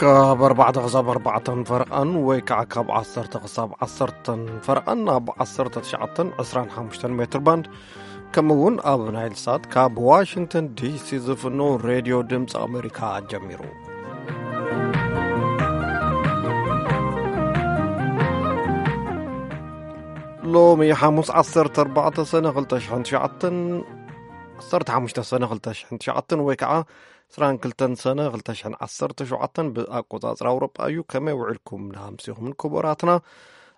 ካብ ኣርባዕተ ክሳብ ኣርባዕተን ፈረቓን ወይ ከዓ ካብ ዓሰርተ ክሳብ ዓሰርተን ፈረቓን ኣብ ዓሰርተ ትሽዓተን ዕስራን ሓሙሽተን ሜትር ባንድ፣ ከምኡ እውን ኣብ ናይል ሳት ካብ ዋሽንግተን ዲሲ ዝፍኖ ሬድዮ ድምፂ ኣሜሪካ ጀሚሩ። ሎሚ ሓሙስ ዓሰርተ ኣርባዕተ ሰነ ክልተ ሽሕን ትሽዓተን፣ ዓሰርተ ሓሙሽተ ሰነ ክልተ ሽሕን ትሽዓተን ወይ ከዓ ዕስራን ክልተን ሰነ ክልተ ሽሕን ዓሰርተ ሸውዓተን ብኣቆጻጽራ ኣውሮጳ እዩ። ከመይ ውዒልኩም ንኣምሲኹምን ክቡራትና?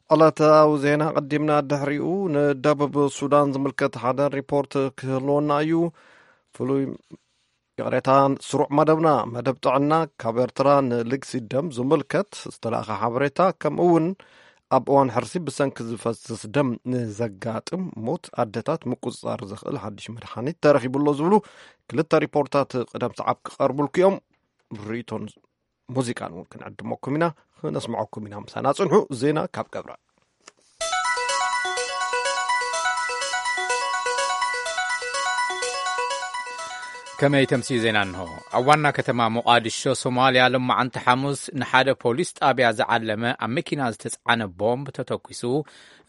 ዕለታዊ ዜና ቀዲምና ድሕሪኡ ንደቡብ ሱዳን ዝምልከት ሓደ ሪፖርት ክህልወና እዩ። ፍሉይ ይቕሬታ፣ ስሩዕ መደብና፣ መደብ ጥዕና፣ ካብ ኤርትራ ንልግሲ ደም ዝምልከት ዝተላእኸ ሓበሬታ፣ ከምኡ እውን ኣብ እዋን ሕርሲ ብሰንኪ ዝፈስስ ደም ንዘጋጥም ሞት ኣደታት ምቁጽጻር ዘኽእል ሓድሽ መድሓኒት ተረኺቡ ኣሎ ዝብሉ ክልተ ሪፖርታት ቅደም ሰዓብ ክቐርቡልኩ እዮም። ርእይቶን ሙዚቃን እውን ክንዕድመኩም ኢና፣ ክነስምዐኩም ኢና። ምሳና ጽንሑ። ዜና ካብ ገብረ። ከመይ ተምሲ ዜና እንሆ። ኣብ ዋና ከተማ ሞቓድሾ ሶማልያ፣ ሎማዓንቲ ሓሙስ ንሓደ ፖሊስ ጣብያ ዝዓለመ ኣብ መኪና ዝተፅዓነ ቦምብ ተተኲሱ፣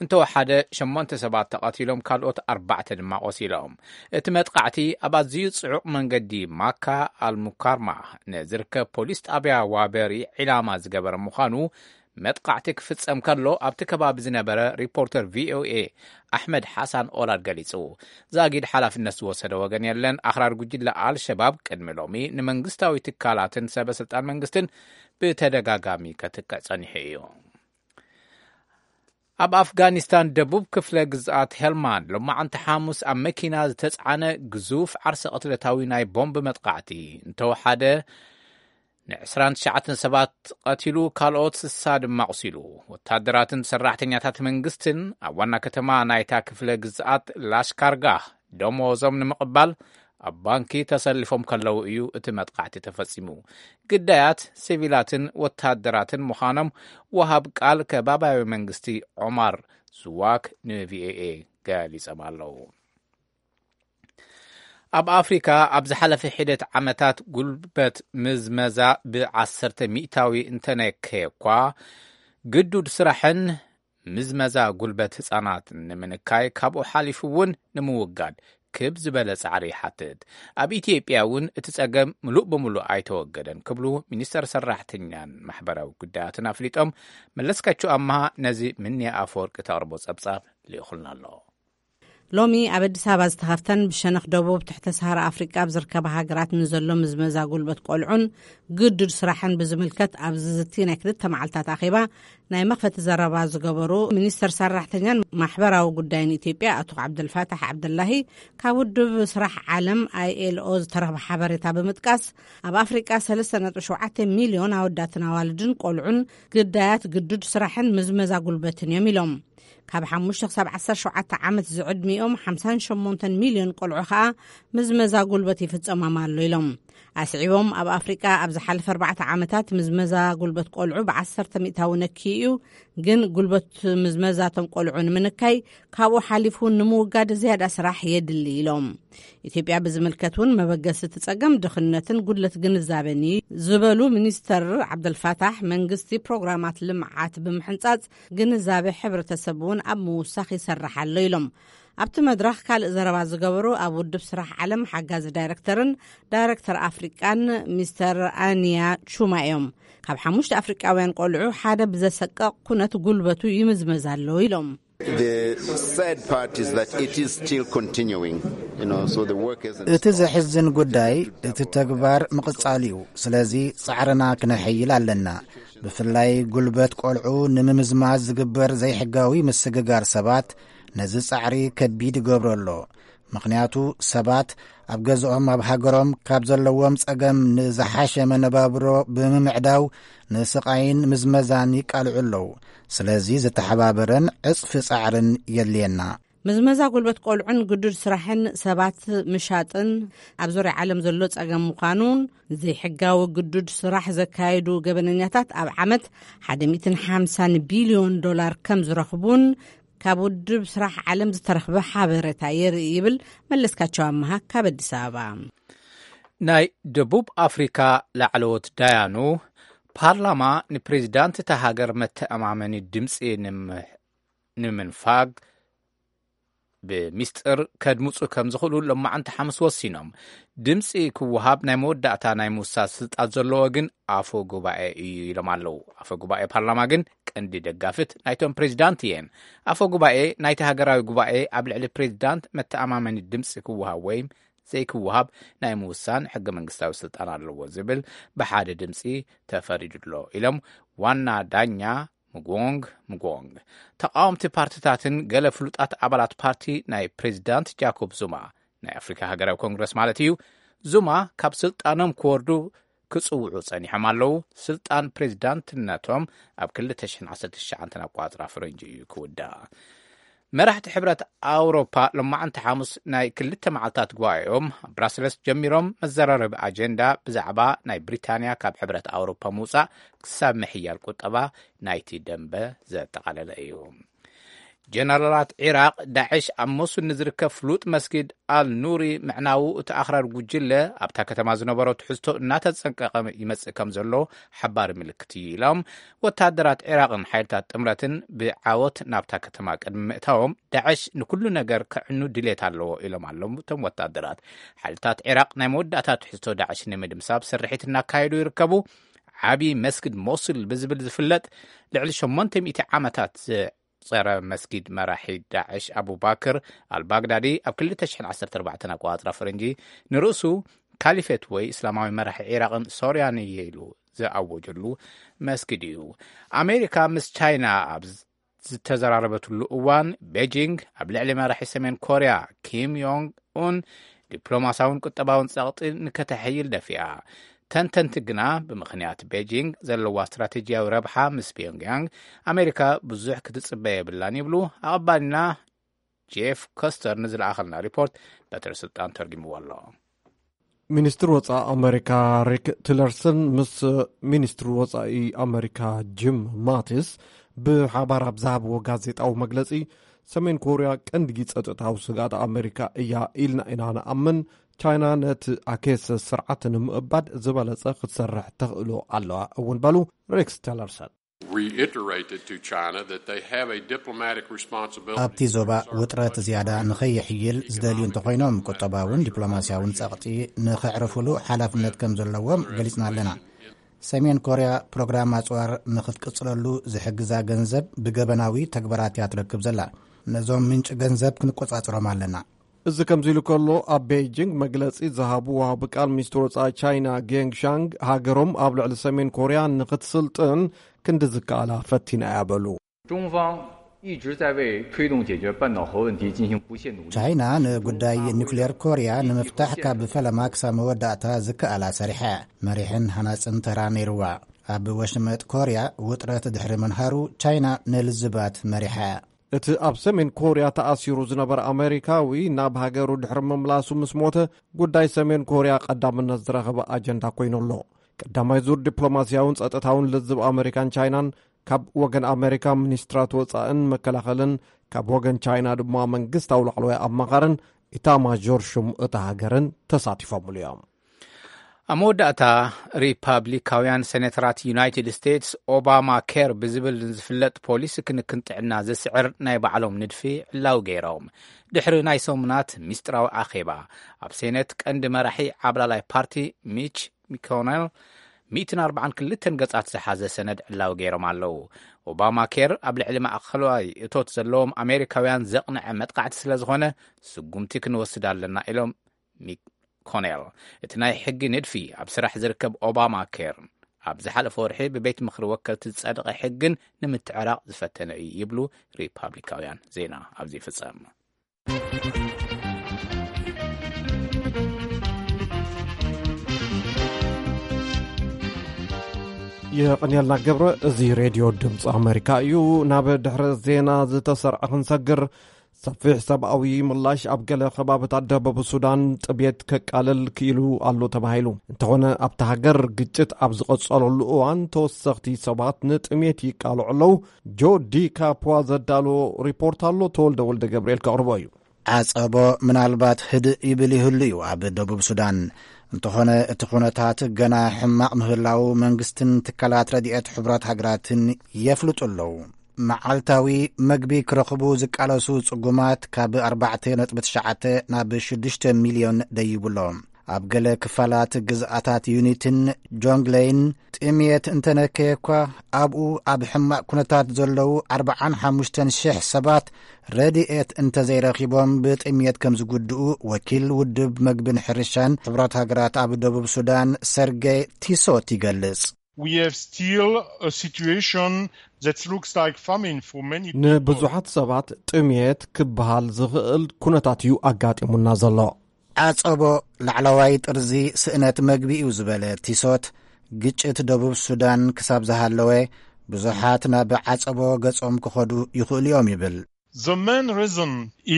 እንተወሓደ ሸሞንተ ሰባት ተቐቲሎም፣ ካልኦት ኣርባዕተ ድማ ቆሲሎም። እቲ መጥቃዕቲ ኣብ ኣዝዩ ጽዑቕ መንገዲ ማካ ኣልሙካርማ ንዝርከብ ፖሊስ ጣብያ ዋበሪ ዒላማ ዝገበረ ምዃኑ መጥቃዕቲ ክፍጸም ከሎ ኣብቲ ከባቢ ዝነበረ ሪፖርተር ቪኦኤ ኣሕመድ ሓሳን ኦላድ ገሊጹ። ዛጊድ ሓላፍነት ዝወሰደ ወገን የለን። ኣኽራሪ ጉጅለ ኣልሸባብ ቅድሚ ሎሚ ንመንግስታዊ ትካላትን ሰበ ስልጣን መንግስትን ብተደጋጋሚ ከጥቅዕ ጸኒሑ እዩ። ኣብ ኣፍጋኒስታን ደቡብ ክፍለ ግዝኣት ሄልማንድ ሎማዓንቲ ሓሙስ ኣብ መኪና ዝተጽዓነ ግዙፍ ዓርሰ ቅትለታዊ ናይ ቦምብ መጥቃዕቲ እንተወሓደ ንዕስራን ትሽዓተን ሰባት ቀቲሉ፣ ካልኦት ስሳ ድማ ኣቑሲሉ። ወታደራትን ሰራሕተኛታት መንግስትን ኣብ ዋና ከተማ ናይታ ክፍለ ግዝኣት ላሽካርጋህ ደሞዞም ንምቕባል ኣብ ባንኪ ተሰሊፎም ከለዉ እዩ እቲ መጥቃዕቲ ተፈጺሙ። ግዳያት ሲቪላትን ወታደራትን ምዃኖም ወሃብ ቃል ከባባያዊ መንግስቲ ዖማር ዙዋክ ንቪኦኤ ገሊጾም ኣለዉ። ኣብ ኣፍሪካ ኣብ ዝሓለፈ ሒደት ዓመታት ጉልበት ምዝመዛ ብዓሰርተ ሚእታዊ እንተነከየ እኳ፣ ግዱድ ስራሕን ምዝመዛ ጉልበት ህጻናት ንምንካይ፣ ካብኡ ሓሊፉ እውን ንምውጋድ ክብ ዝበለ ጻዕሪ ይሓትት። ኣብ ኢትዮጵያ እውን እቲ ጸገም ምሉእ ብምሉእ ኣይተወገደን ክብሉ ሚኒስተር ሰራሕተኛን ማሕበራዊ ጉዳያትን ኣፍሊጦም። መለስካቸው ኣምሃ ነዚ ምንያ ኣፈወርቂ ተቕርቦ ጸብጻብ ልኢኹልና ኣሎ። ሎሚ ኣብ ኣዲስ ኣበባ ዝተኸፍተን ብሸነኽ ደቡብ ትሕተ ሰሃራ ኣፍሪቃ ኣብ ዝርከባ ሃገራት ንዘሎ ምዝመዛ ጉልበት ቆልዑን ግዱድ ስራሕን ብዝምልከት ኣብ ዝዝቲ ናይ ክልተ መዓልታት ኣኼባ ናይ መኽፈቲ ዘረባ ዝገበሩ ሚኒስተር ሰራሕተኛን ማሕበራዊ ጉዳይን ኢትዮጵያ ኣቶ ዓብደልፋታሕ ዓብደላሂ፣ ካብ ውድብ ስራሕ ዓለም ኣይኤልኦ ዝተረኽበ ሓበሬታ ብምጥቃስ፣ ኣብ ኣፍሪቃ ሰለስተ ነጥቢ ሸውዓተ ሚልዮን ኣወዳትን ኣዋልድን ቆልዑን ግዳያት ግዱድ ስራሕን ምዝመዛ ጉልበትን እዮም ኢሎም። ካብ ሓሙሽተ ክሳብ ዓሰርተ ሸውዓተ ዓመት ዝዕድሚኦም ሓምሳን ሸሞንተን ሚልዮን ቆልዑ ኸኣ ምዝመዛ ጉልበት ይፍጸሞም ኣሎ ኢሎም። ኣስዒቦም፣ ኣብ ኣፍሪቃ ኣብ ዝሓለፈ ኣርባዕተ ዓመታት ምዝመዛ ጉልበት ቆልዑ ብዓሰርተ ሚእታዊ ነክዩ እዩ፣ ግን ጉልበት ምዝመዛቶም ቆልዑ ንምንካይ፣ ካብኡ ሓሊፉ እውን ንምውጋድ ዝያዳ ስራሕ የድሊ ኢሎም። ኢትዮጵያ ብዝምልከት እውን መበገሲ እቲ ጸገም ድኽነትን ጉድለት ግንዛቤን እዩ ዝበሉ ሚኒስተር ዓብደልፋታሕ፣ መንግስቲ ፕሮግራማት ልምዓት ብምሕንጻጽ ግንዛቤ ሕብረተሰብ እውን ኣብ ምውሳኽ ይሰርሕ ኣሎ ኢሎም። ኣብቲ መድረኽ ካልእ ዘረባ ዝገበሩ ኣብ ውድብ ስራሕ ዓለም ሓጋዚ ዳይረክተርን ዳይረክተር ኣፍሪቃን ሚስተር ኣንያ ቹማ እዮም። ካብ ሓሙሽተ ኣፍሪቃውያን ቆልዑ ሓደ ብዘሰቀቕ ኩነት ጉልበቱ ይምዝመዝ ኣሎ ኢሎም። The sad part is that it is still continuing. You know, so the work hasn't እቲ ዘሕዝን ጉዳይ፣ እቲ ተግባር ምቕጻል እዩ። ስለዚ ጻዕርና ክነሐይል ኣለና። ብፍላይ ጉልበት ቆልዑ ንምምዝማዝ ዝግበር ዘይሕጋዊ ምስግጋር ሰባት ነዚ ጻዕሪ ከቢድ ይገብሮ ኣሎ። ምኽንያቱ ሰባት ኣብ ገዝኦም፣ ኣብ ሃገሮም ካብ ዘለዎም ጸገም ንዝሓሸ መነባብሮ ብምምዕዳው ንስቓይን ምዝመዛን ይቃልዑ ኣለዉ። ስለዚ ዝተሓባበረን ዕጽፊ ጻዕርን የድልየና። ምዝመዛ ጉልበት ቆልዑን ግዱድ ስራሕን ሰባት ምሻጥን ኣብ ዙርያ ዓለም ዘሎ ጸገም ምዃኑን ዘይሕጋዊ ግዱድ ስራሕ ዘካየዱ ገበነኛታት ኣብ ዓመት ሓደ ሚእትን ሓምሳን ቢልዮን ዶላር ከም ዝረኽቡን ካብ ውድብ ስራሕ ዓለም ዝተረኽበ ሓበሬታ የርኢ ይብል መለስካቸው ኣመሃ ካብ ኣዲስ ኣበባ። ናይ ደቡብ ኣፍሪካ ላዕለዎት ዳያኑ ፓርላማ ንፕሬዚዳንት እታ ሃገር መተኣማመኒ ድምፂ ንምሕ- ንምንፋግ ብሚስጥር ከድምፁ ከም ዝኽእሉ ሎማዓንቲ ሓሙስ ወሲኖም። ድምፂ ክወሃብ ናይ መወዳእታ ናይ ምውሳድ ስልጣን ዘለዎ ግን ኣፈ ጉባኤ እዩ ኢሎም ኣለዉ። ኣፈ ጉባኤ ፓርላማ ግን ቀንዲ ደጋፍት ናይቶም ፕሬዚዳንት እየን። ኣፈ ጉባኤ ናይቲ ሃገራዊ ጉባኤ ኣብ ልዕሊ ፕሬዚዳንት መተኣማመኒ ድምፂ ክወሃብ ወይም ዘይክወሃብ ናይ ምውሳን ሕገ መንግስታዊ ስልጣን ኣለዎ ዝብል ብሓደ ድምፂ ተፈሪዱ ኣሎ ኢሎም ዋና ዳኛ ምጎንግ ምጎንግ። ተቃወምቲ ፓርቲታትን ገለ ፍሉጣት ኣባላት ፓርቲ ናይ ፕሬዚዳንት ጃኮብ ዙማ ናይ ኣፍሪካ ሃገራዊ ኮንግረስ ማለት እዩ፣ ዙማ ካብ ስልጣኖም ክወርዱ ክጽውዑ ጸኒሖም ኣለዉ። ስልጣን ፕሬዚዳንትነቶም ኣብ ክልተ ሽሕን ዓሰርተ ትሽዓን ኣቋጽራ ፈረንጂ እዩ ክውዳእ። መራሕቲ ሕብረት ኣውሮፓ ሎማዓንቲ ሓሙስ ናይ ክልተ መዓልታት ጉባኤኦም ኣብ ብራስለስ ጀሚሮም፣ መዘራረቢ ኣጀንዳ ብዛዕባ ናይ ብሪታንያ ካብ ሕብረት ኣውሮፓ ምውጻእ ክሳብ ምሕያል ቁጠባ ናይቲ ደንበ ዘጠቓለለ እዩ። ጀነራላት ዒራቕ ዳዕሽ ኣብ ሞሱል ንዝርከብ ፍሉጥ መስጊድ ኣል ኑሪ ምዕናዉ እቲ ኣኽራሪ ጉጅለ ኣብታ ከተማ ዝነበሮ ትሕዝቶ እናተጸንቀቐ ይመጽእ ከም ዘሎ ሓባሪ ምልክት እዩ ኢሎም። ወታደራት ዒራቕን ሓይልታት ጥምረትን ብዓወት ናብታ ከተማ ቅድሚ ምእታዎም ዳዕሽ ንኩሉ ነገር ከዕኑ ድሌት ኣለዎ ኢሎም ኣለዉ እቶም ወታደራት። ሓይልታት ዒራቕ ናይ መወዳእታ ትሕዝቶ ዳዕሽ ንምድምሳብ ስርሒት እናካየዱ ይርከቡ። ዓቢ መስጊድ ሞሱል ብዝብል ዝፍለጥ ልዕሊ ሸሞንተ ሚእቲ ዓመታት ዘጸረ መስጊድ መራሒ ዳዕሽ ኣቡባክር ኣልባግዳዲ ኣብ ክልተ ሽሕን ዓሰርተ ኣርባዕተን ኣቆጻጽራ ፈረንጂ ንርእሱ ካሊፌት ወይ እስላማዊ መራሒ ዒራቕን ሶርያን እየ ኢሉ ዝኣወጀሉ መስጊድ እዩ። ኣሜሪካ ምስ ቻይና ኣብ ዝተዘራረበትሉ እዋን ቤጂንግ ኣብ ልዕሊ መራሒ ሰሜን ኮርያ ኪም ዮንግ ኡን ዲፕሎማሲያውን ቁጠባውን ጸቕጢ ንከተሐይል ደፊኣ። ተንተንቲ ግና ብምኽንያት ቤጂንግ ዘለዋ ስትራቴጂያዊ ረብሓ ምስ ፒዮንግያንግ ኣሜሪካ ብዙሕ ክትጽበ የብላን ይብሉ። ኣቐባልና ጄፍ ኮስተር ንዝለኣኸልና ሪፖርት በትሪ ስልጣን ተርጊምዎ ኣሎ። ሚኒስትር ወጻኢ ኣመሪካ ሪክ ቲለርሰን ምስ ሚኒስትር ወጻኢ ኣመሪካ ጂም ማቲስ ብሓባር ኣብ ዝሃብዎ ጋዜጣዊ መግለጺ፣ ሰሜን ኮርያ ቀንዲ ጸጥታዊ ስግኣት ኣመሪካ እያ ኢልና ኢና ንኣምን። ቻይና ነቲ ኣኬስ ስርዓት ንምእባድ ዝበለጸ ክትሰርሕ ተኽእሎ ኣለዋ እውን በሉ ሬክስ ቲለርሰን። Reiterated to China that they have a diplomatic responsibility ኣብቲ ዞባ ውጥረት ዝያዳ ንኸይሕይል ዝደልዩ እንተኾይኖም፣ ቁጠባውን ዲፕሎማስያውን ጸቕጢ ንኸዕርፉሉ ሓላፍነት ከም ዘለዎም ገሊጽና ኣለና። ሰሜን ኮርያ ፕሮግራም ኣጽዋር ንኽትቅጽለሉ ዝሕግዛ ገንዘብ ብገበናዊ ተግባራት እያ ትረክብ ዘላ። ነዞም ምንጪ ገንዘብ ክንቆጻጽሮም ኣለና። እዚ ከምዚ ኢሉ ከሎ፣ ኣብ ቤይጂንግ መግለጺ ዝሃቡ ወሃቢ ቃል ሚኒስትር ወጻኢ ቻይና ጌንግ ሻንግ፣ ሃገሮም ኣብ ልዕሊ ሰሜን ኮርያ ንኽትስልጥን ክንዲ ዝከኣላ ፈቲና እያ በሉ። 中方一直在为推动解决半岛核问题进行不懈努力。 ቻይና ንጉዳይ ኒውክሌር ኮርያ ንምፍታሕ ካብ ፈለማ ክሳብ መወዳእታ ዝከኣላ ሰሪሓ እያ። መሪሕን ሃናጽን ተራ ነይርዋ። ኣብ ወሽመጥ ኮርያ ውጥረት ድሕሪ ምንሃሩ፣ ቻይና ንልዝባት መሪሓ እያ። እቲ ኣብ ሰሜን ኮርያ ተኣሲሩ ዝነበረ ኣመሪካዊ ናብ ሃገሩ ድሕሪ ምምላሱ ምስ ሞተ፣ ጉዳይ ሰሜን ኮርያ ቀዳምነት ዝረኸበ ኣጀንዳ ኮይኑ ኣሎ። ቀዳማይ ዙር ዲፕሎማስያውን ጸጥታውን ልዝብ ኣመሪካን ቻይናን፣ ካብ ወገን ኣመሪካ ሚኒስትራት ወጻእን መከላኸልን፣ ካብ ወገን ቻይና ድማ መንግስታዊ ላዕለዋይ ኣማኻርን ኢታማዦር ሹም እታ ሃገርን ተሳቲፎምሉ እዮም። ኣብ መወዳእታ፣ ሪፓብሊካውያን ሴኔተራት ዩናይትድ ስቴትስ ኦባማ ኬር ብዝብል ንዝፍለጥ ፖሊሲ ክንክን ጥዕና ዝስዕር ናይ ባዕሎም ንድፊ ዕላዊ ገይሮም። ድሕሪ ናይ ሰሙናት ሚስጥራዊ ኣኼባ፣ ኣብ ሴኔት ቀንዲ መራሒ ዓብላላይ ፓርቲ ሚች ሚኮነል ሚእትን ኣርባዓን ክልተን ገጻት ዝሓዘ ሰነድ ዕላዊ ገይሮም ኣለዉ። ኦባማ ኬር ኣብ ልዕሊ ማእከላዊ እቶት ዘለዎም ኣሜሪካውያን ዘቕንዐ መጥቃዕቲ ስለ ዝኾነ፣ ስጉምቲ ክንወስድ ኣለና ኢሎም ሚኮኔል። እቲ ናይ ሕጊ ንድፊ ኣብ ስራሕ ዝርከብ ኦባማ ኬር፣ ኣብ ዝሓለፈ ወርሒ ብቤት ምኽሪ ወከልቲ ዝጸደቐ ሕግን ንምትዕራቕ ዝፈተነ እዩ ይብሉ ሪፓብሊካውያን። ዜና ኣብዚ ይፍጸም። የቐንየልና ገብረ። እዚ ሬድዮ ድምፂ ኣመሪካ እዩ። ናብ ድሕረ ዜና ዝተሰርዐ ክንሰግር፣ ሰፊሕ ሰብኣዊ ምላሽ ኣብ ገለ ከባብታት ደቡብ ሱዳን ጥሜት ከቃልል ክኢሉ ኣሎ ተባሂሉ። እንተኾነ፣ ኣብታ ሃገር ግጭት ኣብ ዝቐጸለሉ እዋን ተወሰኽቲ ሰባት ንጥሜት ይቃልዑ ኣለዉ። ጆ ዲ ካፖዋ ዘዳሎ ሪፖርት ኣሎ፣ ተወልደ ወልደ ገብርኤል ከቕርቦ እዩ። ዓጸቦ ምናልባት ህድእ ይብል ይህሉ እዩ ኣብ ደቡብ ሱዳን። እንተኾነ እቲ ኩነታት ገና ሕማቕ ምህላው መንግስትን ትካላት ረድኤት ሕቡራት ሃገራትን የፍልጡ ኣለዉ። መዓልታዊ መግቢ ክረኽቡ ዝቃለሱ ጽጉማት ካብ ኣርባዕተ ነጥቢ ትሽዓተ ናብ ሽዱሽተ ሚልዮን ደይቡ ኣሎ። ኣብ ገለ ክፋላት ግዝኣታት ዩኒትን ጆንግለይን ጥምየት እንተነከየ እኳ፣ ኣብኡ ኣብ ሕማቕ ኩነታት ዘለዉ ኣርባዓን ሓሙሽተን ሽሕ ሰባት ረድኤት እንተዘይረኺቦም ብጥምየት ከም ዝጉድኡ ወኪል ውድብ መግብን ሕርሻን ሕቡራት ሃገራት ኣብ ደቡብ ሱዳን ሰርጌ ቲሶት ይገልጽ። We have still a situation that looks like famine for many people. ንብዙሓት ሰባት ጥምየት ክበሃል ዝኽእል ኩነታት እዩ ኣጋጢሙና ዘሎ። ዓጸቦ ላዕለዋይ ጥርዚ ስእነት መግቢ እዩ ዝበለ ቲሶት፣ ግጭት ደቡብ ሱዳን ክሳብ ዝሃለወ ብዙሓት ናብ ዓጸቦ ገጾም ክኸዱ ይኽእሉ እዮም ይብል። The main reason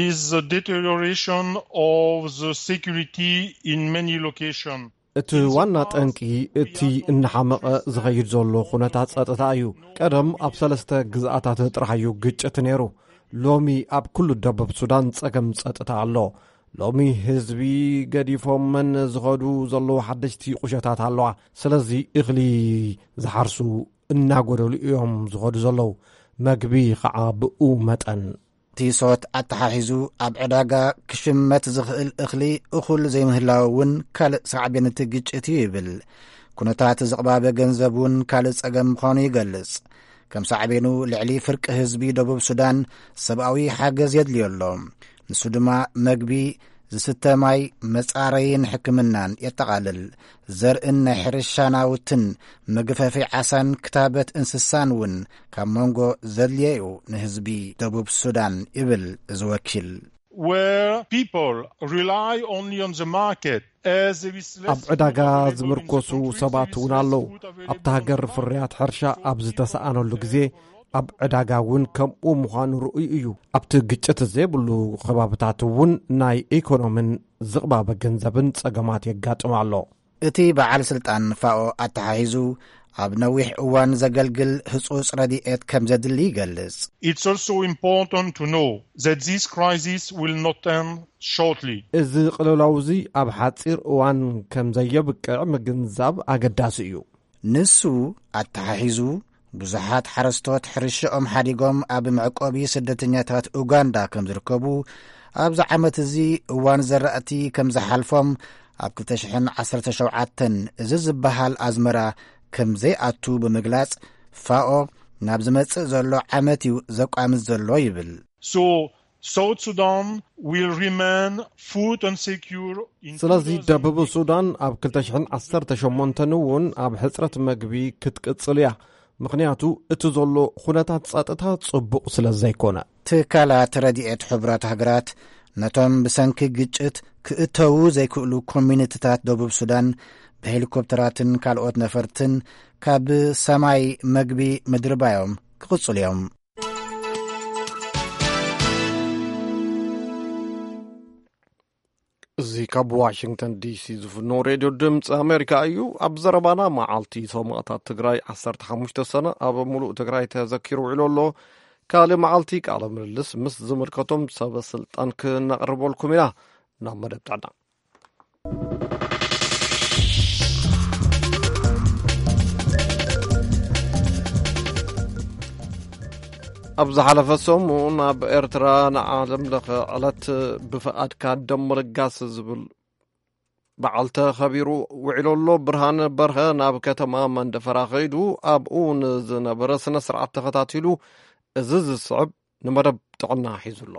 is the deterioration of the security in many locations. እቲ ዋና ጠንቂ እቲ እናሓመቐ ዝኸይድ ዘሎ ኩነታት ጸጥታ እዩ። ቀደም ኣብ ሰለስተ ግዝኣታት ጥራሕ እዩ ግጭት ነይሩ። ሎሚ ኣብ ኩሉ ደቡብ ሱዳን ጸገም ጸጥታ ኣሎ። ሎሚ ህዝቢ ገዲፎመን ዝኸዱ ዘለዉ ሓደሽቲ ቁሸታት ኣለዋ። ስለዚ እኽሊ ዝሓርሱ እናጎደሉ እዮም ዝኸዱ ዘለዉ። መግቢ ኸዓ ብኡ መጠን። ቲሶት ኣተሓሒዙ ኣብ ዕዳጋ ክሽመት ዝኽእል እኽሊ እኹል ዘይምህላው እውን ካልእ ሳዕቤን እቲ ግጭት እዩ ይብል። ኩነታት ዝቕባበ ገንዘብ እውን ካልእ ጸገም ምዃኑ ይገልጽ። ከም ሳዕቤኑ ልዕሊ ፍርቂ ህዝቢ ደቡብ ሱዳን ሰብኣዊ ሓገዝ የድልዮ ኣሎ። ንሱ ድማ መግቢ፣ ዝስተ ማይ፣ መጻረይን ሕክምናን የጠቓልል። ዘርእን ናይ ሕርሻ ናውትን መግፈፊ ዓሳን ክታበት እንስሳን እውን ካብ መንጎ ዘድልየዩ ንህዝቢ ደቡብ ሱዳን ይብል እዚ ወኪል። Where people rely only on the market as there is less ኣብ ዕዳጋ ዝምርኮሱ ሰባት እውን ኣለዉ። ኣብታ ሃገር ፍርያት ሕርሻ ኣብ ዝተሰኣነሉ ግዜ ኣብ ዕዳጋ እውን ከምኡ ምዃኑ ርኡይ እዩ። ኣብቲ ግጭት ዘይብሉ ከባብታት እውን ናይ ኢኮኖምን ዝቕባበ ገንዘብን ጸገማት የጋጥም ኣሎ። እቲ በዓል ስልጣን ፋኦ ኣተሓሒዙ ኣብ ነዊሕ እዋን ዘገልግል ህጹጽ ረድኤት ከም ዘድሊ ይገልጽ። It's also important to know that this crisis will not end shortly. እዚ ቅልውላው እዚ ኣብ ሓጺር እዋን ከም ዘየብቅዕ ምግንዛብ ኣገዳሲ እዩ። ንሱ ኣተሓሒዙ ብዙሓት ሓረስቶት ሕርሻኦም ሓዲጎም ኣብ መዕቆቢ ስደተኛታት ኡጋንዳ ከም ዝርከቡ፣ ኣብዚ ዓመት እዚ እዋን ዘራእቲ ከም ዝሓልፎም፣ ኣብ ክልተ ሽሕን ዓሰርተ ሸውዓተን እዚ ዝበሃል ኣዝመራ ከም ዘይኣቱ ብምግላጽ፣ ፋኦ ናብ ዝመጽእ ዘሎ ዓመት እዩ ዘቋምት ዘሎ ይብል። So South Sudan will remain food insecure in ስለዚ ደቡብ ሱዳን ኣብ ክልተ ሽሕን ዓሰርተ ሸሞንተን እውን ኣብ ሕጽረት መግቢ ክትቅጽል እያ። ምኽንያቱ እቲ ዘሎ ኩነታት ጸጥታ ጽቡቕ ስለ ዘይኮነ። ትካላት ረድኤት ሕቡራት ሃገራት ነቶም ብሰንኪ ግጭት ክእተዉ ዘይክእሉ ኮሚኒቲታት ደቡብ ሱዳን ብሄሊኮፕተራትን ካልኦት ነፈርትን ካብ ሰማይ መግቢ ምድርባዮም ክቕጽሉ እዮም። እዚ ካብ ዋሽንግተን ዲሲ ዝፍኖ ሬድዮ ድምፂ ኣሜሪካ እዩ። ኣብ ዘረባና መዓልቲ ሰማእታት ትግራይ ዓሰርተ ሓሙሽተ ሰነ ኣብ ሙሉእ ትግራይ ተዘኪሩ ውዒሉ ኣሎ። ካልእ መዓልቲ ቃለ ምልልስ ምስ ዝምልከቶም ሰበ ስልጣን ክነቕርበልኩም ኢና። ናብ መደብ ጥዕና። ኣብ ዝሓለፈ ሰሙን ኣብ ኤርትራ ንዓለም ለኸ ዕለት ብፍቓድካ ደም ምልጋስ ዝብል በዓል ተኸቢሩ ውዒሉ ኣሎ። ብርሃነ በርሀ ናብ ከተማ መንደፈራ ከይዱ ኣብኡ ንዝነበረ ስነ ስርዓት ተኸታቲሉ፣ እዚ ዝስዕብ ንመደብ ጥዕና ሒዙ ኣሎ።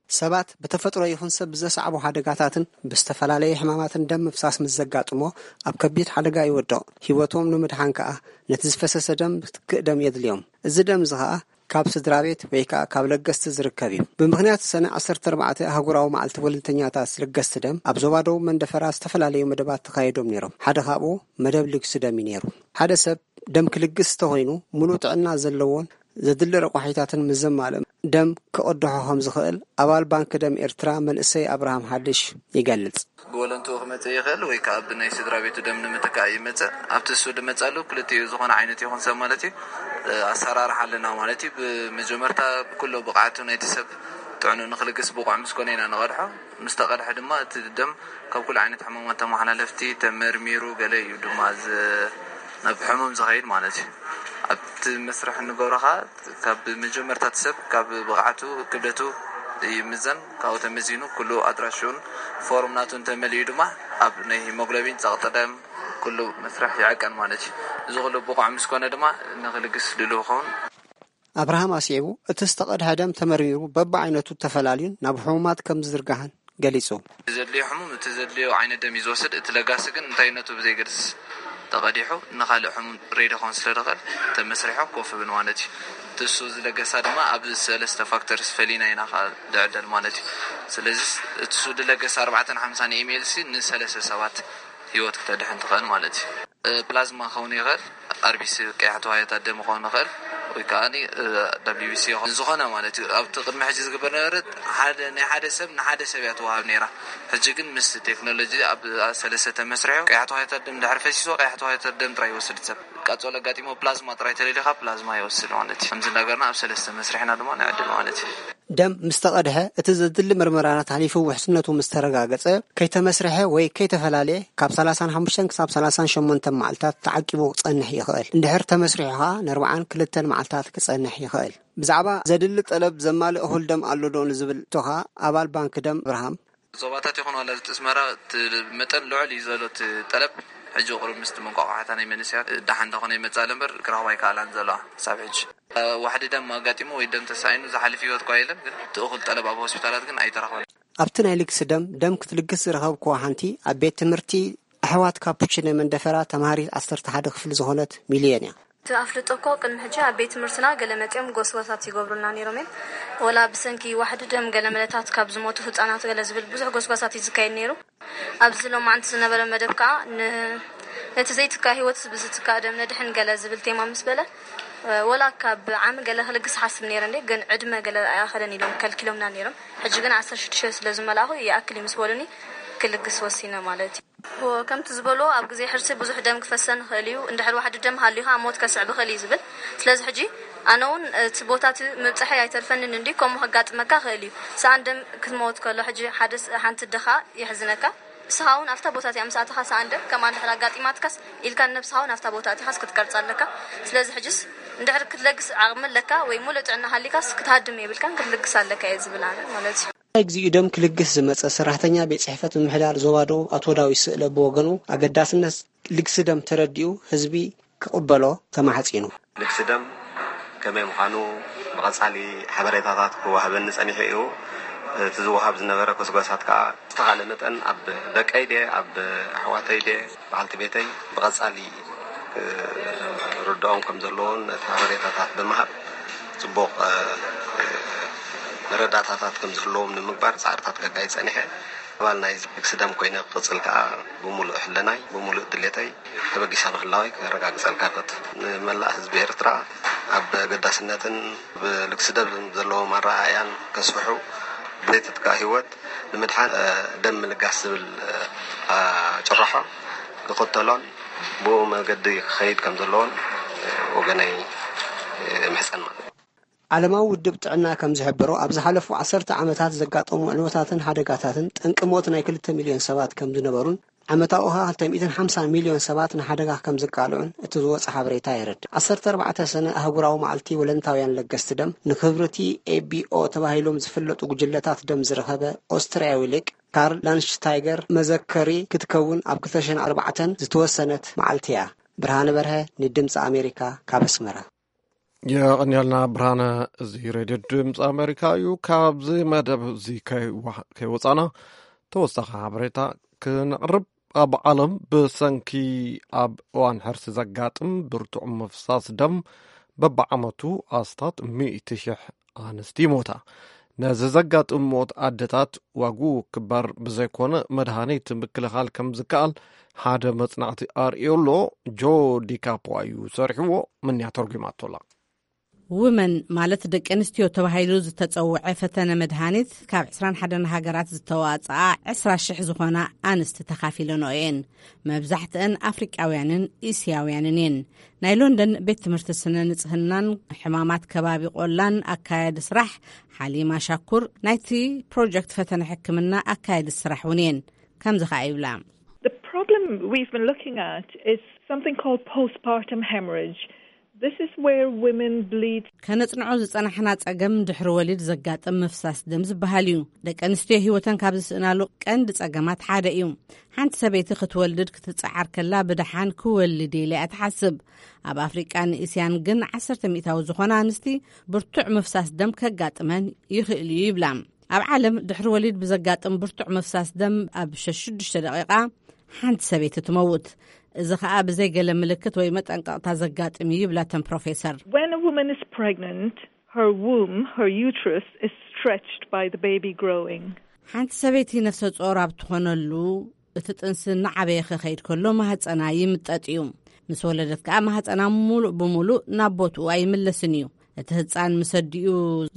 ሰባት ብተፈጥሮ ይኹን ሰብ ብዘስዓቦ ሓደጋታትን ብዝተፈላለየ ሕማማትን ደም ምፍሳስ ምስ ዘጋጥሞ፣ ኣብ ከቢድ ሓደጋ ይወድቕ። ህይወቶም ንምድሓን ከኣ ነቲ ዝፈሰሰ ደም ክትክእ ደም የድልዮም። እዚ ደም እዚ ከኣ ካብ ስድራ ቤት ወይ ከኣ ካብ ለገስቲ ዝርከብ እዩ። ብምኽንያት ሰነ ዓሰርተ ኣርባዕተ ኣህጉራዊ መዓልቲ ወለንተኛታት ለገስቲ ደም፣ ኣብ ዞባ ደቡብ መንደፈራ ዝተፈላለዩ መደባት ተኻይዶም ነይሮም። ሓደ ካብኡ መደብ ልግሲ ደም እዩ ነይሩ። ሓደ ሰብ ደም ክልግስ እንተኾይኑ፣ ሙሉእ ጥዕና ዘለዎን ዘድሊ ረቋሒታትን ምስ ዘማልእ፣ ደም ክቕድሖ ከም ዝኽእል ኣባል ባንክ ደም ኤርትራ መንእሰይ ኣብርሃም ሓድሽ ይገልጽ። ብወለንትኡ ክመጽእ ይኽእል ወይ ከኣ ብናይ ስድራ ቤቱ ደም ንምትካእ ይመጽእ። ኣብቲ እሱ ዝመጽኣሉ ክልቲኡ ዝኾነ ዓይነት ይኹን ሰብ ማለት እዩ፣ ኣሰራርሓ ኣለና ማለት እዩ። ብመጀመርታ ኩሎ ብቕዓቱ ናይቲ ሰብ ጥዕኑ ንክልግስ ብቑዕ ምስ ኮነ ኢና ንቐድሖ። ምስ ተቐድሐ ድማ እቲ ደም ካብ ኩሉ ዓይነት ሕማማት ተመሓላለፍቲ ተመርሚሩ ገለ እዩ ድማ ዝ-፣ ናብ ሕሙም ዝኸይድ ማለት እዩ። ኣብቲ መስርሕ እንገብሮ ኸዓ ካብ መጀመርታ እቲ ሰብ ካብ ብቕዓቱ ክብደቱ ይምዘን። ካብኡ ተመዚኑ ኩሉ ኣድራሽኡን ፎርም ናቱ እንተመሊኡ ድማ ኣብ ናይ ሂሞግሎቢን ጸቕጢ ደም ኩሉ መስርሕ ይዕቀን ማለት እዩ። እዚ ኩሉ ብቑዕ ምስ ኮነ ድማ ንክልግስ ድሉው ይኸውን። ኣብርሃም ኣስዒቡ፣ እቲ ዝተቐድሐ ደም ተመርሚሩ በብዓይነቱ ተፈላልዩን ናብ ሕሙማት ከም ዝዝርጋሕን ገሊጹ። እቲ ዘድልዮ ሕሙም እቲ ዘድልዮ ዓይነት ደም እዩ ዝወስድ። እቲ ለጋሲ ግን እንታይነቱ ብዘይገድስ ተቐዲሑ ንኻልእ ሕሙም ሬዲ ክኾን ስለ ዝኽእል ተመስሪሑ ኮፍ ይብል ማለት እዩ። እቲ እሱ ዝለገሳ ድማ ኣብ ሰለስተ ፋክተርስ ፈሊና ኢና ከዓ ዝዕደል ማለት እዩ። ስለዚ እቲ እሱ ዝለገሳ ኣርባዕተን ሓምሳን ኤምኤል ሲ ንሰለስተ ሰባት ህይወት ክተድሕን ትኽእል ማለት እዩ። ፕላዝማ ክኸውን ይኽእል፣ ኣርቢሲ ቀያሕቲ ዋህዮታት ደም ክኸውን ይኽእል፣ ወይ ከዓ ደብሊቢሲ ዝኾነ ማለት እዩ። ኣብቲ ቅድሚ ሕጂ ዝግበር ነበረ ሓደ ናይ ሓደ ሰብ ንሓደ ሰብ እያ ትወሃብ ነይራ። ሕጂ ግን ምስ ቴክኖሎጂ ኣብ ሰለስተ ተመስሪሑ ቀያሕቲ ዋህዮታት ደም ድሕሪ ፈሲስዎ ቀያሕቲ ዋህዮታት ደም ጥራይ ይወስድ ሰብ። ቃጸሎ ኣጋጢሞ ፕላዝማ ጥራይ ተደልዩ ከዓ ፕላዝማ ይወስድ ማለት እዩ። ከምዚ እንዳገርና ኣብ ሰለስተ መስሪሕና ድማ ንዕድል ማለት እዩ። ደም ምስ ተቐድሐ፣ እቲ ዘድሊ ምርመራታት ሓሊፉ ውሕስነቱ ምስ ተረጋገጸ፣ ከይተመስርሐ ወይ ከይተፈላለየ ካብ ሰላሳን ሓሙሽተን ክሳብ ሰላሳን ሸሞንተን መዓልታት ተዓቂቡ ክጸንሕ ይኽእል። እንድሕር ተመስሪሑ ኸኣ ንኣርብዓን ክልተን መዓልታት ክጸንሕ ይኽእል። ብዛዕባ ዘድሊ ጠለብ ዘማልእ እኹል ደም ኣሎዶ ንዝብል ሕቶ ኸኣ ኣባል ባንኪ ደም ኣብርሃም፣ ዞባታት ይኹን ዋላ እቲ ኣስመራ እቲ መጠን ልዑል እዩ ዘሎ እቲ ጠለብ። ሕጂ ቁሩብ ምስቲ መንቋቋሕታ ናይ መንእሰያት ደሓን እንዳኾነ ይመጽእ ኣሎ እምበር ክረኽባ ኣይከኣላን ዘለዋ ክሳብ ሕጂ። ዋሕዲ ደም ኣጋጢሙ ወይ ደም ተሳኢኑ ዝሓልፍ ህይወት እኳ የለን፣ ግን እቲ እኹል ጠለብ ኣብ ሆስፒታላት ግን ኣይተረኽበን። ኣብቲ ናይ ልግሲ ደም ደም ክትልግስ ዝረኸብክዋ ሓንቲ ኣብ ቤት ትምህርቲ ኣሕዋት ካፑቺነ መንደፈራ ተምሃሪት ዓሰርተ ሓደ ክፍሊ ዝኾነት ሚልዮን እያ። እቲ ኣፍልጦ እኮ ቅድሚ ሕጂ ኣብ ቤት ትምህርትና ገለ መጺኦም ጎስጓሳት ይገብሩልና ነይሮም እዮም። ወላ ብሰንኪ ዋሕዲ ደም ገለ መለታት ካብ ዝሞቱ ህጻናት ገለ ዝብል ብዙሕ ጎስጓሳት እዩ ዝካየድ ነይሩ። ኣብዚ ሎማዕንቲ ዝነበረ መደብ ከኣ ን-፣ ነቲ ዘይትካእ ህይወት ብዝትካእ ደም ነድሕን ገለ ዝብል ቴማ ምስ በለ፣ ወላ ካብ ዓሚ ገለ ክልግስ ሓስብ ነይረ እንዴ፣ ግን ዕድመ ገለ ኣይኣኸለን ኢሎም ከልኪሎምና ነይሮም። ሕጂ ግን ዓሰርተ ሽዱሽተ ስለ ዝመላእኹ ይኣክል እዩ ምስ በሉኒ ክልግስ ወሲነ ማለት እዩ። ከምቲ ዝበልዎ ኣብ ግዜ ሕርሲ ብዙሕ ደም ክፈሰን ይኽእል እዩ። እንድሕር ዋሕዲ ደም ሃልዩ ከኣ ሞት ከስዕብ ይኽእል እዩ ዝብል። ስለዚ ሕጂ ኣነ እውን እቲ ቦታ እቲ ምብጻሐይ ኣይተርፈንን እንድዩ፣ ከምኡ ከጋጥመካ ይኽእል እዩ። ሰኣን ደም ክትመውት ከሎ ሕጂ ሓደ ስ-፣ ሓንቲ ኣደ ከኣ የሕዝነካ። ንስኻ እውን ኣብታ ቦታ እቲኣ ምስ ኣተኻ ሰኣን ደም ከምኣ እንድሕር ኣጋጢማትካስ ኢልካ ንነብስኻ እውን ኣብታ ቦታ ኣቲኻስ ክትቀርጻ ኣለካ። ስለዚ ሕጅስ እንድሕር ክትለግስ ዓቕሚ ኣለካ ወይ ሙሉእ ጥዕና ሃሊካስ ክትሃድም የብልካን ክትልግስ ኣለካ እየ ዝብል ኣነ ማለት እዩ። ናይ እግዚኣብኡ ደም ክልግስ ዝመጸ ሰራሕተኛ ቤት ጽሕፈት ምምሕዳር ዞባ ደቡብ ኣቶ ዳዊት ስእለ ብወገኑ ኣገዳስነት ልግሲ ደም ተረዲኡ ህዝቢ ክቕበሎ ተማሕጺኑ። ልግሲ ደም ከመይ ምዃኑ ብቐጻሊ ሓበሬታታት ክወሃበኒ ጸኒሑ እዩ። እቲ ዝወሃብ ዝነበረ ጎስጓሳት ከኣ ዝተኻእለ መጠን ኣብ ደቀይ ድየ ኣብ ኣሕዋተይ ድየ በዓልቲ ቤተይ ብቐጻሊ ክርድኦም ከም ዘለዎን ነቲ ሓበሬታታት ብምሃብ ጽቡቕ መረዳእታታት ከም ዝህልዎም ንምግባር ጻዕርታት ከካይድ ጸኒሐ። ኣባል ናይ ልግሲ ደም ኮይነ ክቕጽል ከኣ ብምሉእ ሕልናይ ብምሉእ ድሌተይ ተበጊሰ ምህላወይ ከረጋግጸልካ እፈቱ። ንመላእ ህዝቢ ኤርትራ ኣብ ኣገዳስነትን ኣብ ልግሲ ደም ዘለዎም ኣረኣእያን ከስፍሑ ብዘይትትካእ ህይወት ንምድሓን ደም ምልጋስ ዝብል ጭርሖ ክኽተሎን ብኡ መገዲ ክኸይድ ከም ዘለዎን ወገነይ እምሕጸን ማለት እዩ። ዓለማዊ ውድብ ጥዕና ከም ዝሕብሮ ኣብ ዝሓለፉ ዓሰርተ ዓመታት ዘጋጠሙ ዕንወታትን ሓደጋታትን ጠንቂ ሞት ናይ ክልተ ሚልዮን ሰባት ከም ዝነበሩን ዓመታዊ ኸኣ ክልተ ሚእትን ሓምሳን ሚልዮን ሰባት ንሓደጋ ከም ዝቃልዑን እቲ ዝወጸ ሓበሬታ የረድእ። ዓሰርተ ኣርባዕተ ሰነ ኣህጉራዊ መዓልቲ ወለንታውያን ለገስቲ ደም ንክብሪ እቲ ኤቢኦ ተባሂሎም ዝፍለጡ ጉጅለታት ደም ዝረኸበ ኦስትርያዊ ሊቅ ካርል ላንድሽታይገር መዘከሪ ክትከውን ኣብ ክልተ ሽሕን ኣርባዕተን ዝተወሰነት መዓልቲ እያ። ብርሃነ በርሀ ንድምፂ ኣሜሪካ ካብ ኣስመራ። የቐንየልና ብርሃነ። እዚ ሬድዮ ድምፂ ኣሜሪካ እዩ። ካብዚ መደብ እዚ ከይዋ- ከይወፃና ተወሳኺ ሓበሬታ ክነቕርብ። ኣብ ዓለም ብሰንኪ ኣብ እዋን ሕርሲ ዘጋጥም ብርቱዕ ምፍሳስ ደም በብዓመቱ ኣስታት ሚእቲ ሽሕ ኣንስቲ ይሞታ። ነዚ ዘጋጥም ሞት ኣደታት ዋግኡ ክበር ብዘይኮነ መድሃኒት ምክልኻል ከም ዝከኣል ሓደ መጽናዕቲ ኣርእዮ ኣሎ። ጆ ዲካፖ እዩ ሰሪሕዎ፣ ምንያ ተርጒማቶ ኣላ። ውመን ማለት ደቂ ኣንስትዮ ተባሂሉ ዝተጸውዐ ፈተነ መድሃኒት ካብ ዕስራን ሓደን ሃገራት ዝተዋጽኣ ዕስራ ሽሕ ዝኾና ኣንስቲ ተኻፊለንኦ እየን። መብዛሕትአን ኣፍሪቃውያንን እስያውያንን እየን። ናይ ሎንደን ቤት ትምህርቲ ስነ ንጽህናን ሕማማት ከባቢ ቆላን ኣካያዲ ስራሕ ሓሊማ ሻኩር ናይቲ ፕሮጀክት ፈተነ ሕክምና ኣካያዲ ስራሕ እውን እየን። ከምዚ ኸኣ ይብላ። The problem we've been looking at is something called postpartum hemorrhage. This is where women bleed. ከነጽንዖ ዝጸናሕና ጸገም ድሕሪ ወሊድ ዘጋጥም ምፍሳስ ደም ዝበሃል እዩ። ደቂ ኣንስትዮ ህይወተን ካብ ዝስእናሉ ቀንዲ ጸገማት ሓደ እዩ። ሓንቲ ሰበይቲ ክትወልድ ክትጸዓር ከላ ብደሓን ክወልድ ኢለ እያ ትሓስብ። ኣብ ኣፍሪቃን እስያን ግን ዓሰርተ ሚእታዊ ዝኾና ኣንስቲ ብርቱዕ ምፍሳስ ደም ከጋጥመን ይኽእል እዩ ይብላ። ኣብ ዓለም ድሕሪ ወሊድ ብዘጋጥም ብርቱዕ ምፍሳስ ደም ኣብ ሽዱሽተ ደቂቃ ሓንቲ ሰበይቲ ትመውት። እዚ ኸኣ ብዘይ ገለ ምልክት ወይ መጠንቀቕታ ዘጋጥም እዩ ይብላ እተን ፕሮፌሰር። When a woman is pregnant, her womb, her uterus is stretched by the baby growing. ሓንቲ ሰበይቲ ነፍሰ ጾር ኣብ ትኾነሉ እቲ ጥንሲ እናዓበየ ክኸይድ ከሎ ማህጸና ይምጠጥ እዩ። ምስ ወለደት ከኣ ማህጸና ሙሉእ ብሙሉእ ናብ ቦትኡ ኣይምለስን እዩ። እቲ ህጻን ምስ ኣዲኡ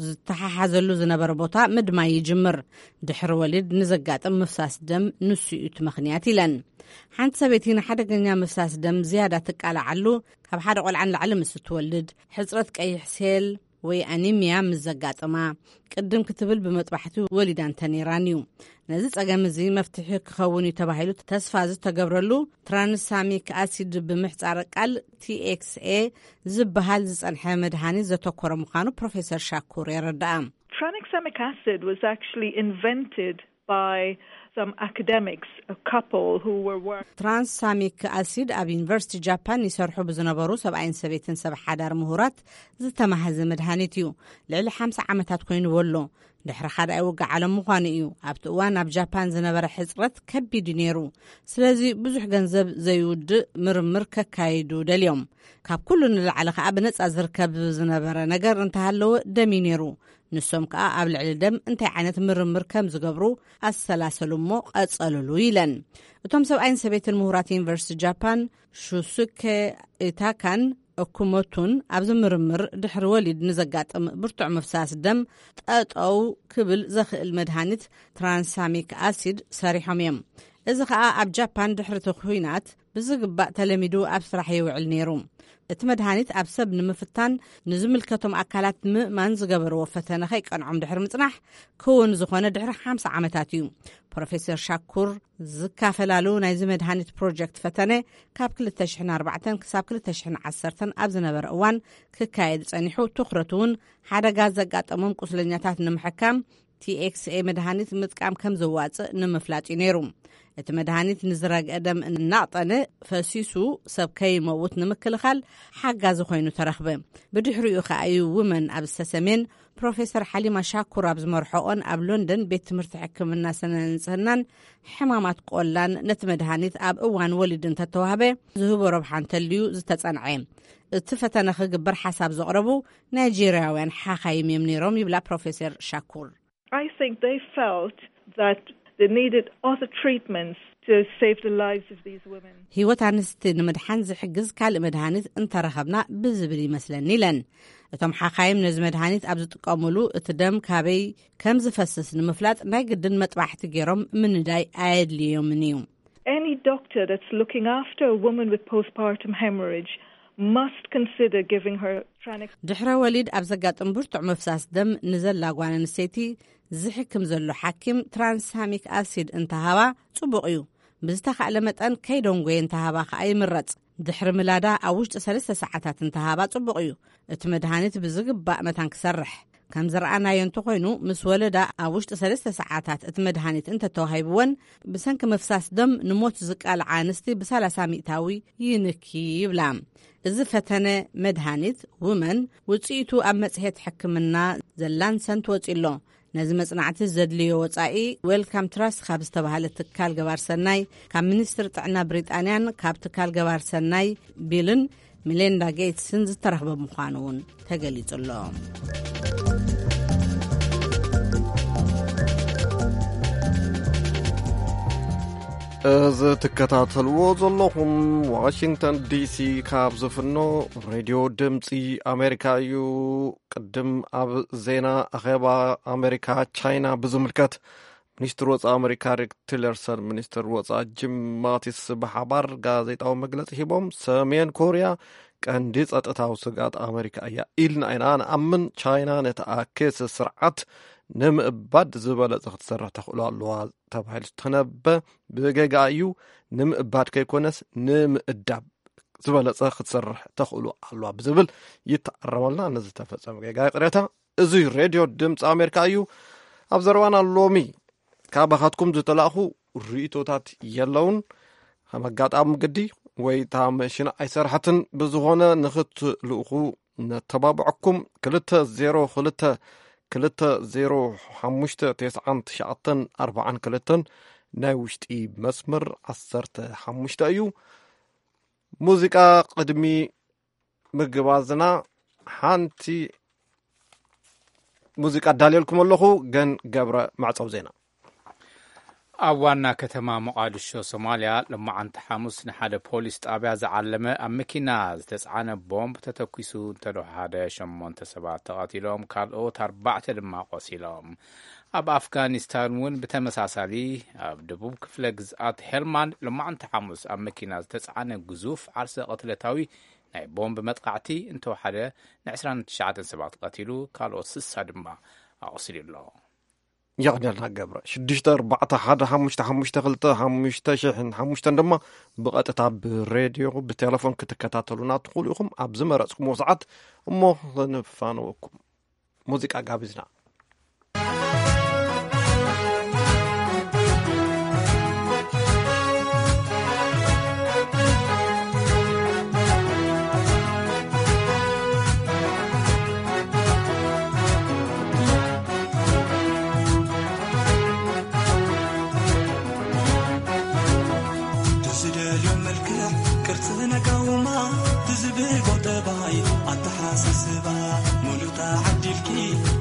ዝተሓሓዘሉ ዝነበረ ቦታ ምድማይ ይጅምር። ድሕሪ ወሊድ ንዘጋጥም ምፍሳስ ደም ንሱ እዩ እቲ ምኽንያት ኢለን። ሓንቲ ሰበይቲ ንሓደገኛ ምፍሳስ ደም ዝያዳ ትቃላዓሉ ካብ ሓደ ቆልዓ ንላዕሊ ምስ እትወልድ፣ ሕጽረት ቀይሕ ሴል ወይ ኣኒሚያ ምስ ዘጋጥማ፣ ቅድም ክትብል ብመጥባሕቲ ወሊዳ እንተነይራን እዩ። ነዚ ጸገም እዚ መፍትሒ ክኸውን እዩ ተባሂሉ ተስፋ ዝተገብረሉ ትራንሳሚክ ኣሲድ ብምሕጻረ ቃል ቲ ኤክስ ኤ ዝበሃል ዝጸንሐ መድሃኒት ዘተኮረ ምዃኑ ፕሮፌሰር ሻኩር የረድኣ። Tranexamic acid was actually invented by some academics, a couple who were work- ትራንሳሚክ ኣሲድ ኣብ ዩኒቨርሲቲ ጃፓን ይሰርሑ ብዝነበሩ ሰብኣይን ሰበይትን ሰብ ሓዳር ምሁራት ዝተማህዘ መድሃኒት እዩ። ልዕሊ ሓምሳ ዓመታት ኮይንዎ ኣሎ። ድሕሪ ካልኣይ ውግእ ዓለም ምዃኑ እዩ። ኣብቲ እዋን ኣብ ጃፓን ዝነበረ ሕጽረት ከቢድ እዩ ነይሩ። ስለዚ ብዙሕ ገንዘብ ዘይውድእ ምርምር ከካይዱ ደልዮም። ካብ ኩሉ ንላዕሊ ከኣ ብነጻ ዝርከብ ዝነበረ ነገር እንተሃለወ ደም እዩ ነይሩ። ንሶም ከኣ ኣብ ልዕሊ ደም እንታይ ዓይነት ምርምር ከም ዝገብሩ ኣሰላሰሉ እሞ ቀጸሉሉ ኢለን። እቶም ሰብኣይን ሰበይትን ምሁራት ዩኒቨርሲቲ ጃፓን ሹሱኬ ኢታካን እኩሞቱን ኣብዚ ምርምር ድሕሪ ወሊድ ንዘጋጥም ብርቱዕ ምፍሳስ ደም ጠጠው ክብል ዘኽእል መድሃኒት ትራንሳሚክ ኣሲድ ሰሪሖም እዮም። እዚ ኸኣ ኣብ ጃፓን ድሕሪ እቲ ኲናት ብዝግባእ ተለሚዱ ኣብ ስራሕ ይውዕል ነይሩ። እቲ መድሃኒት ኣብ ሰብ ንምፍታን ንዝምልከቶም ኣካላት ንምእማን ዝገበርዎ ፈተነ ከይቀንዖም ድሕሪ ምጽናሕ ክውን ዝኾነ ድሕሪ ሓምሳ ዓመታት እዩ። ፕሮፌሰር ሻኩር ዝካፈላሉ ናይዚ መድሃኒት ፕሮጀክት ፈተነ ካብ ክልተ ሽሕን ኣርባዕተን ክሳብ ክልተ ሽሕን ዓሰርተን ኣብ ዝነበረ እዋን ክካየድ ጸኒሑ፣ ትኹረቱ እውን ሓደጋ ዘጋጠሞም ቁስለኛታት ንምሕካም ቲ ኤክስ ኤ መድሃኒት ምጥቃም ከም ዘዋጽእ ንምፍላጥ እዩ ነይሩ። እቲ መድሃኒት ንዝረግአ ደም እናቕጠነ ፈሲሱ ሰብ ከይመውት ንምክልኻል ሓጋዚ ኮይኑ ተረኽበ። ብድሕሪኡ ከኣ እዩ ውመን ኣብ ዝተሰሜን ፕሮፌሰር ሓሊማ ሻኩር ኣብ ዝመርሖኦን ኣብ ሎንደን ቤት ትምህርቲ ሕክምና ስነ ንጽህናን ሕማማት ቆላን ነቲ መድሃኒት ኣብ እዋን ወሊድ እንተተዋህበ ዝህቦ ረብሓ እንተልዩ ዝተጸንዐ። እቲ ፈተነ ክግበር ሓሳብ ዘቕረቡ ናይጄርያውያን ሓኻይም እዮም ነይሮም ይብላ ፕሮፌሰር ሻኩር። I think they felt that they needed other treatments to save the lives of these women. ህይወት ኣንስቲ ንምድሓን ዝሕግዝ ካልእ መድሃኒት እንተረኸብና ብዝብል ይመስለኒ ኢለን። እቶም ሓኻይም ነዚ መድሃኒት ኣብ ዝጥቀሙሉ እቲ ደም ካበይ ከም ዝፈስስ ንምፍላጥ ናይ ግድን መጥባሕቲ ገይሮም ምንዳይ ኣየድልዮምን እዩ። Any doctor that's looking after a woman with postpartum hemorrhage must consider giving her Tranex. ድሕረ ወሊድ ኣብ ዘጋጥም ብርቱዕ ምፍሳስ ደም ንዘላ ጓል ኣንስተይቲ ዝሕክም ዘሎ ሓኪም ትራንሳሚክ ኣሲድ እንተሃባ ጽቡቕ እዩ። ብዝተኻእለ መጠን ከይደንጎየ እንተሃባ ከኣ ይምረጽ። ድሕሪ ምላዳ ኣብ ውሽጢ ሰለስተ ሰዓታት እንተሃባ ጽቡቕ እዩ። እቲ መድሃኒት ብዝግባእ መታን ክሰርሕ። ከም ዝረኣናዮ እንተኾይኑ፣ ምስ ወለዳ ኣብ ውሽጢ ሰለስተ ሰዓታት እቲ መድሃኒት እንተተዋሂብወን፣ ብሰንኪ ምፍሳስ ደም ንሞት ዝቃልዓ ኣንስቲ ብሰላሳ ሚእታዊ ይንኪ ይብላ። እዚ ፈተነ መድሃኒት ውመን ውጽኢቱ ኣብ መጽሔት ሕክምና ዘላንሰንት ወጺ ኣሎ። ነዚ መጽናዕቲ ዘድልዮ ወጻኢ ዌልካም ትራስት ካብ ዝተባህለ ትካል ገባር ሰናይ፣ ካብ ሚኒስትሪ ጥዕና ብሪጣንያን ካብ ትካል ገባር ሰናይ ቢልን ሚሌንዳ ጌትስን ዝተረኽበ ምዃኑ እውን ተገሊጹ ኣሎ። እዚ ትከታተልዎ ዘለኹም ዋሽንግተን ዲሲ ካብ ዝፍኖ ሬድዮ ድምፂ ኣሜሪካ እዩ። ቅድም ኣብ ዜና ኣኼባ ኣሜሪካ ቻይና ብዝምልከት፣ ሚኒስትር ወፃኢ ኣሜሪካ ሬክስ ቲለርሰን ሚኒስትር ወፃኢ ጂም ማቲስ ብሓባር ጋዜጣዊ መግለፂ ሂቦም፣ ሰሜን ኮርያ ቀንዲ ጸጥታዊ ስግኣት ኣመሪካ እያ ኢልና ኢና ንኣምን። ቻይና ነቲ ኣክስ ስርዓት ንምእባድ ዝበለጸ ክትሰርሕ ተኽእሎ ኣለዋ ተባሂሉ ዝተነበ ብጌጋ እዩ። ንምእባድ ከይኮነስ ንምእዳብ ዝበለጸ ክትሰርሕ ተኽእሎ ኣለዋ ብዝብል ይተኣረመልና። ነዚ ተፈጸመ ጌጋ ይቕሬታ። እዚ ሬድዮ ድምፂ ኣሜሪካ እዩ። ኣብ ዘረባና ሎሚ ካባኻትኩም ዝተላእኹ ርእይቶታት የለውን። ከም ኣጋጣሚ ግዲ ወይ እታ መሽን ኣይሰርሐትን። ብዝኾነ ንኽትልእኹ ነተባብዐኩም። ክልተ ዜሮ ክልተ ክልተ ዜሮ ሓሙሽተ ተስዓን ትሽዓተን ኣርባዓን ክልተን ናይ ውሽጢ መስመር ዓሰርተ ሓሙሽተ እዩ። ሙዚቃ ቅድሚ ምግባዝና ሓንቲ ሙዚቃ ኣዳልየልኩም ኣለኹ። ገን ገብረ መዕጸው ዜና። ኣብ ዋና ከተማ ሞቓድሾ ሶማልያ፣ ሎማዓንቲ ሓሙስ ንሓደ ፖሊስ ጣብያ ዝዓለመ ኣብ መኪና ዝተጻዕነ ቦምብ ተተኲሱ እንተደሓደ ሸሞንተ ሰባት ተቐቲሎም፣ ካልኦት ኣርባዕተ ድማ ቆሲሎም። ኣብ ኣፍጋኒስታን እውን ብተመሳሳሊ ኣብ ደቡብ ክፍለ ግዝኣት ሄልማንድ ሎማዓንቲ ሓሙስ ኣብ መኪና ዝተጻዕነ ግዙፍ ዓርሰ ቅትለታዊ ናይ ቦምብ መጥቃዕቲ እንተወሓደ ን ዕስራን ትሽዓተን ሰባት ቀቲሉ፣ ካልኦት ስሳ ድማ ኣቑሲሉ ኣሎ። የቕንየልና ገብረ። ሽዱሽተ ኣርባዕተ ሓደ ሓሙሽተ ሓሙሽተ ክልተ ሓሙሽተ ሽሕን ሓሙሽተን ድማ ብቐጥታ ብሬድዮ ብቴሌፎን ክትከታተሉና ትኽእሉ ኢኹም። ኣብ ዝመረጽኩምዎ ሰዓት እሞ ክንፋነወኩም። ሙዚቃ ጋቢዝና። ትዝደልዮ መልክዕ ቅርጽ ነጋውማ ትዝብጎ ጠባይ ኣተሓሳስባ ሙሉእ ተዓዲልኪ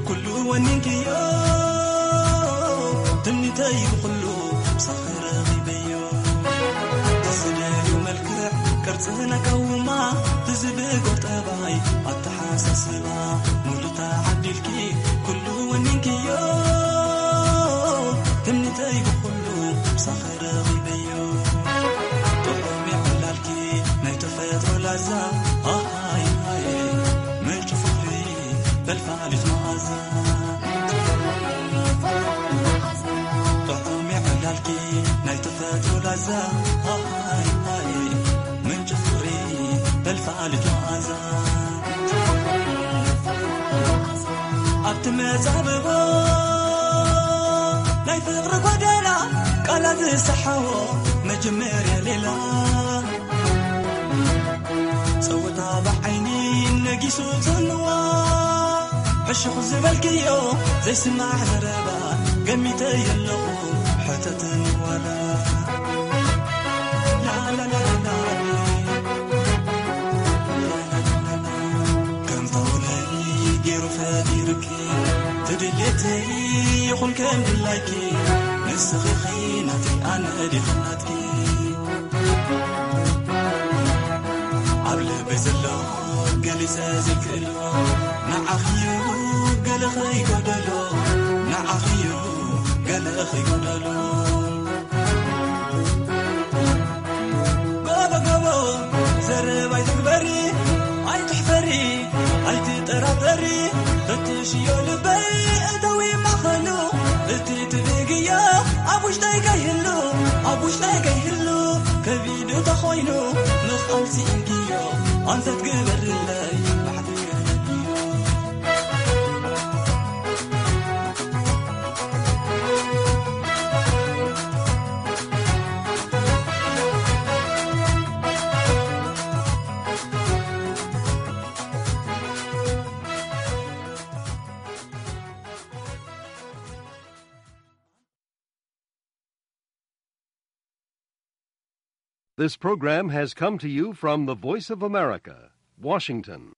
ኩሉ ወኒንክዮ ትምኒተይ ብኹሉ ብሳኺ ረኺበዮ። ትዝደልዮ መልክዕ ቅርጽ ነጋውማ ትዝብጎ ጠባይ ኣተሓሳስባ ሙሉእ ተዓዲልኪ ኩሉ ወኒንክዮ ትምኒተይ ብኹሉ ብሳኺ ረኺበዮ። ጥዑም የዕላልኪ ናይ ተፈጥሮ ላዛ ኣሃይ ሃይ ምንጪ ፍቕሪ ፈልፋሊት መኣዛ። ጥዑም የዕላልኪ ናይ ተፈጥሮ ላዛ ኣሃይ ሃይ ምንጪ ፍቕሪ ፈልፋሊት መኣዛ። ኣብቲ መዛብቦ ናይ ፍቕሪ ጎደና ቃላት ዝሰሓዎ መጀመርያ ሌላ ጸወታ ብዓይኒ ነጊሱ ጽልዋ ሕሹኽ ዝበልክዮ ዘይስማዕ ዘረባ ገሚተ የለኹ ሕተትኒ ዋላ ላላላላ ከምታውለይ ገይሩ ፈጢሩኪ ትድልየተይ ይኹን ከም ድላይኪ ንስኺ ኺ ናተይ ኣነ ዲኺ ናትኪ ኣብ ልበይ ዘሎ ገሊጸ ዘይክእሎ ንዓኺዩ ገለ ኸይጎደሎ ንዓኺዩ ገለ ኸይጎደሎ ጎቦ ጎቦ ዘረባ ኣይትግበሪ ኣይትሕፈሪ ኣይትጠራጠሪ ፈትሽዮ ልበይ እተዊ ማኸሉ እቲ ትብግዮ ኣብ ውሽጠይ ከይህሉ ኣብ ውሽጠይ ከይህሉ ከቢዱ ተኾይኑ ምኽኣል ስኢንክዮ ኣንፈት ግበርለይ ባዕልዮ This program has come to you from the Voice of America, Washington.